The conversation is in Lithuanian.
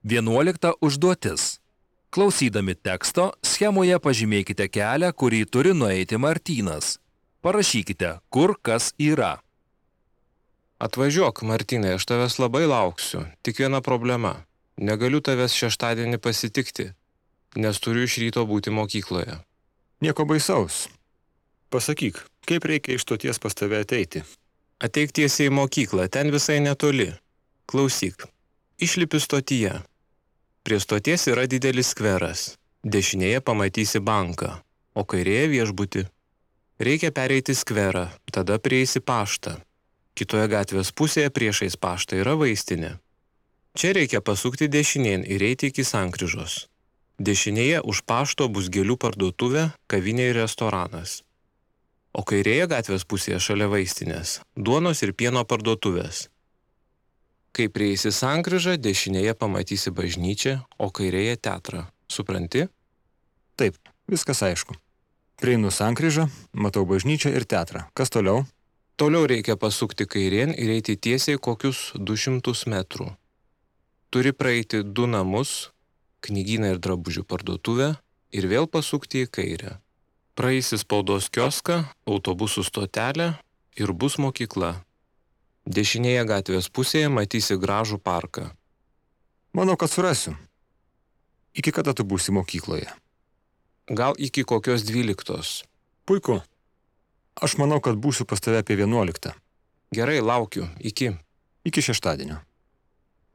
11 užduotis. Klausydami teksto, schemoje pažymėkite kelią, kurį turi nueiti Martynas. Parašykite, kur kas yra. Atvažiuok, Martynai, aš tavęs labai lauksiu. Tik viena problema. Negaliu tavęs šeštadienį pasitikti, nes turiu iš ryto būti mokykloje. Nieko baisaus. Pasakyk, kaip reikia iš stoties pas tave ateiti? Ateik tiesiai į mokyklą, ten visai netoli. Klausyk, išlipi stotyje. Prie stoties yra didelis skveras. Dešinėje pamatysi banką, o kairėje viešbutį. Reikia pereiti skverą, tada prieisi paštą. Kitoje gatvės pusėje priešais paštą yra vaistinė. Čia reikia pasukti dešinėn ir eiti iki sankryžos. Dešinėje už pašto bus gėlių parduotuvė, kavinė ir restoranas. O kairėje gatvės pusėje šalia vaistinės duonos ir pieno parduotuvės. Kai prieisi sankryžą, dešinėje pamatysi bažnyčią, o kairėje teatrą. Supranti? Taip, viskas aišku. Prieinu sankryžą, matau bažnyčią ir teatrą. Kas toliau? Toliau reikia pasukti kairėn ir eiti tiesiai kokius 200 metrų. Turi praeiti 2 namus, knygyną ir drabužių parduotuvę ir vėl pasukti į kairę. Praeisi spaudos kioską, autobusų stotelę ir bus mokykla. Dešinėje gatvės pusėje matysi gražų parką. Manau, kad surasiu. Iki kada tu būsi mokykloje? Gal iki kokios 12. Puiku. Aš manau, kad būsiu pas tave apie 11. Gerai, laukiu. Iki. Iki šeštadienio.